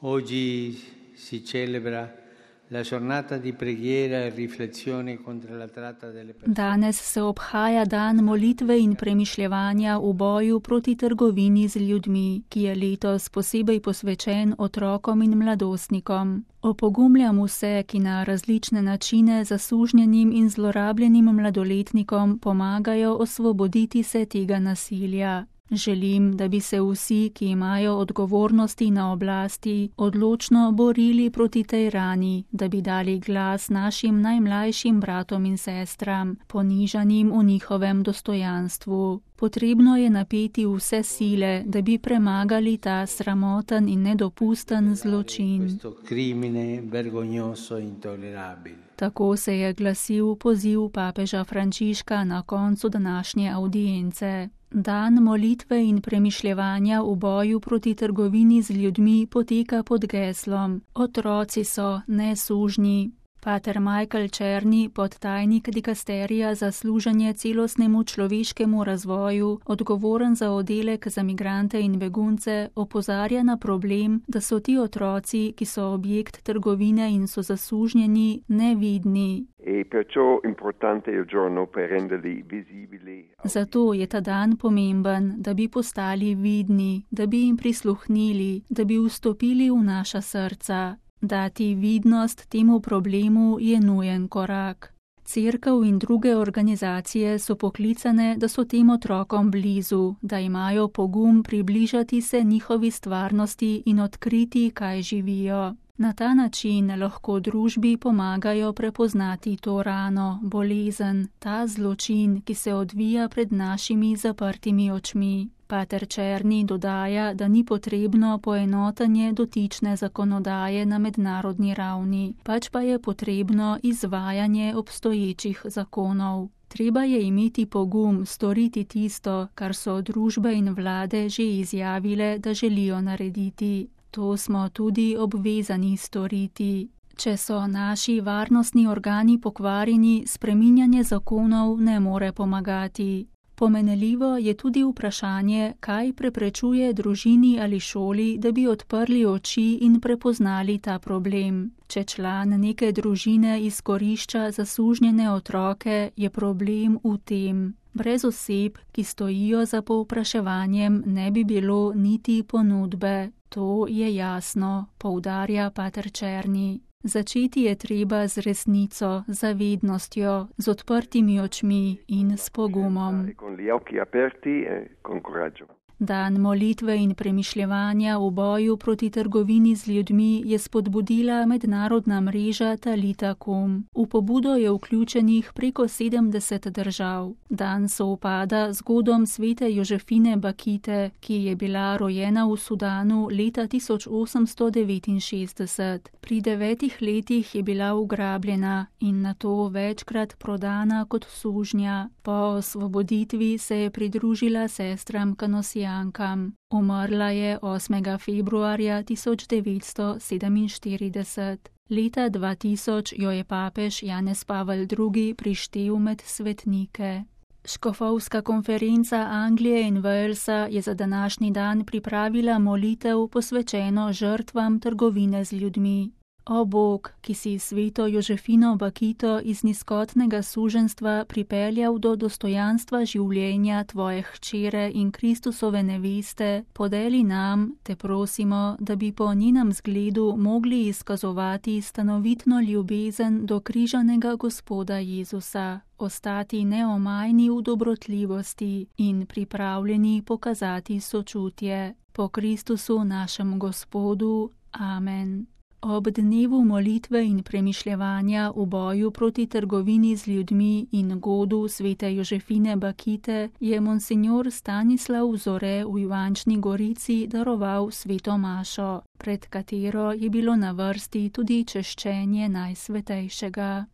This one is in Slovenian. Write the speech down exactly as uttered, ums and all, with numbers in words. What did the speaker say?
Oggi si celebra la giornata di preghiera e riflessione contro la tratta delle persone. Danes se obhaja dan molitve in premišljevanja v boju proti trgovini z ljudmi, ki je letos posebej posvečen otrokom in mladostnikom. Opogumljam vse, ki na različne načine zasužnjenim in zlorabljenim mladoletnikom pomagajo osvoboditi se tega nasilja. Želim, da bi se vsi, ki imajo odgovornosti na oblasti, odločno borili proti tej rani, da bi dali glas našim najmlajšim bratom in sestram, ponižanim v njihovem dostojanstvu. Potrebno je napeti vse sile, da bi premagali ta sramoten in nedopusten zločin. Tako se je glasil poziv papeža Frančiška na koncu današnje avdience. Dan molitve in premišljevanja v boju proti trgovini z ljudmi poteka pod geslom Otroci so nesužnji. Pater Michael Černi, podtajnik dikasterija za služenje celostnemu človeškemu razvoju, odgovoren za oddelek za migrante in begunce, opozarja na problem, da so ti otroci, ki so objekt trgovine in so zasužnjeni, nevidni. Zato je ta dan pomemben, da bi postali vidni, da bi jim prisluhnili, da bi vstopili v naša srca. Dati vidnost temu problemu je nujen korak. Cerkev in druge organizacije so poklicane, da so tem otrokom blizu, da imajo pogum približati se njihovi stvarnosti in odkriti, kaj živijo. Na ta način lahko družbi pomagajo prepoznati to rano, bolezen, ta zločin, ki se odvija pred našimi zaprtimi očmi. Pater Černi dodaja, da ni potrebno poenotenje dotične zakonodaje na mednarodni ravni, pač pa je potrebno izvajanje obstoječih zakonov. Treba je imeti pogum storiti tisto, kar so družbe in vlade že izjavile, da želijo narediti. To smo tudi obvezani storiti. Če so naši varnostni organi pokvarjeni, spreminjanje zakonov ne more pomagati. Pomenljivo je tudi vprašanje, kaj preprečuje družini ali šoli, da bi odprli oči in prepoznali ta problem. Če član neke družine izkorišča zasužnjene otroke, je problem v tem. Brez oseb, ki stojijo za povpraševanjem, ne bi bilo niti ponudbe. To je jasno, poudarja pater Černi. Začeti je treba z resnico, zavednostjo, z odprtimi očmi in s pogumom. Dan molitve in premišljevanja v boju proti trgovini z ljudmi je spodbudila mednarodna mreža Talita Kum. V pobudo je vključenih preko sedemdeset držav. Dan sovpada z godom svete Jožefine Bakite, ki je bila rojena v Sudanu leta tisoč osemsto devetinšestdeset. Pri devetih letih je bila ugrabljena in nato večkrat prodana kot sužnja. Po osvoboditvi se je pridružila sestram kanosijankam. Umrla je osmega februarja tisoč devetsto sedeminštirideset. Leta dva tisoč jo je papež Janez Pavel drugi prištel med svetnike. Škofovska konferenca Anglije in Walesa je za današnji dan pripravila molitev posvečeno žrtvam trgovine z ljudmi. O Bog, ki si sveto Jožefino Bakito iz nizkotnega suženjstva pripeljal do dostojanstva življenja tvoje hčere in Kristusove neveste, podeli nam, te prosimo, da bi po njenem zgledu mogli izkazovati stanovitno ljubezen do križanega Gospoda Jezusa, ostati neomajni v dobrotljivosti in pripravljeni pokazati sočutje. Po Kristusu našem Gospodu. Amen. Ob dnevu molitve in premišljevanja v boju proti trgovini z ljudmi in godu svete Jožefine Bakite je monsinjor Stanislav Zore v Ivančni Gorici daroval sveto mašo, pred katero je bilo na vrsti tudi češčenje Najsvetejšega.